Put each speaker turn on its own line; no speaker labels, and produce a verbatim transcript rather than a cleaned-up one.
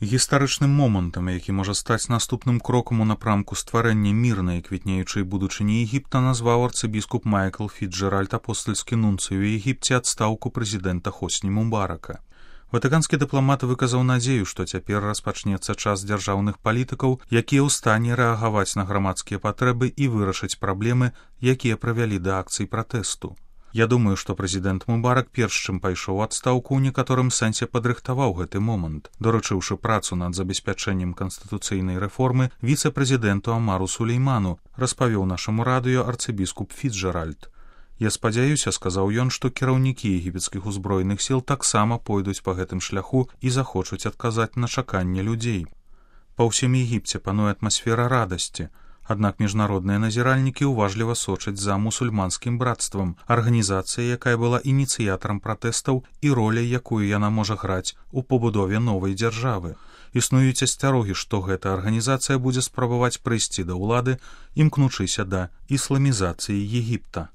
Гістарычным момантам, які можа стаць наступным крокам у напрамку стварэння мірнай квітнеючай будучыні Егіпта, назваў арцыбіскуп Майкл Фіцджеральд, апостальскі нунцый у Егіпце, адстаўку прэзідэнта Хосні Мубарака. Ватыканскі дыпламат выказаў надзею, што цяпер распачнецца час дзяржаўных палітыкаў, якія ў стане рэагаваць на грамадскія патрэбы і вырашыць праблемы, якія прывялі да акцый пратэсту. Я думаю, што прэзідэнт Мубарак перш чым пайшоў у адстаўку, у некаторым сэнсе падрыхтаваў гэты момант, даручыўшы працу над забеспячэннем канстытуцыйнай рэформы віцэ-прэзідэнту Амару Сулейману, распавёў нашаму радыё арцыбіскуп Фіцджеральд. Я спадзяюся, сказаў ён, што кіраўнікі егіпецкіх узброеных сіл таксама пойдуць па гэтым шляху і захочуць адказаць на чаканне людзей. Па ўсім Егіпце пануе атмасфера радасці. Аднак міжнародныя назіральнікі ўважліва сочаць за мусульманскім братствам, арганізацыя, якая была ініцыятарам пратэстаў і роляй, якую яна можа граць у пабудове новай дзяржавы. Існуюць асцярогі, што гэта арганізацыя будзе спрабаваць прыйсці да ўлады, імкнучыся да ісламізацыі Егіпта.